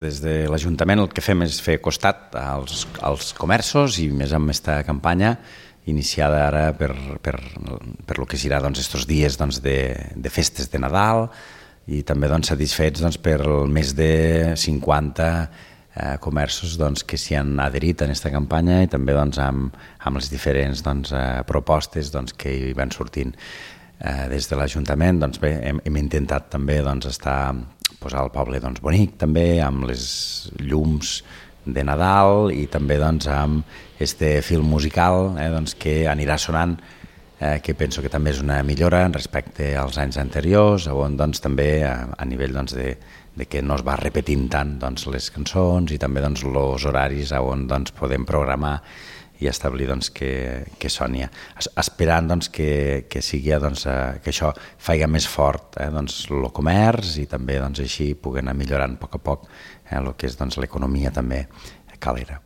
Des de l'Ajuntament el que fem és fer costat als comerços i més amb aquesta campanya iniciada ara per lo que serà estos dies de festes de Nadal i també satisfets per el més de 50 comerços que s'hi han adherit a aquesta campanya i també amb les diferents propostes que hi van sortint. Des de l'Ajuntament hem intentat també posar el poble bonic també amb les llums de Nadal i també amb este film musical que anirà sonant, que penso que també és una millora respecte als anys anteriors, on també a nivell de que no es va repetint tant les cançons i també els horaris on podem programar i establir que soni, esperant que sigui que això faci més fort el comerç i també així pugui anar millorant a poc el que és l'economia també calera.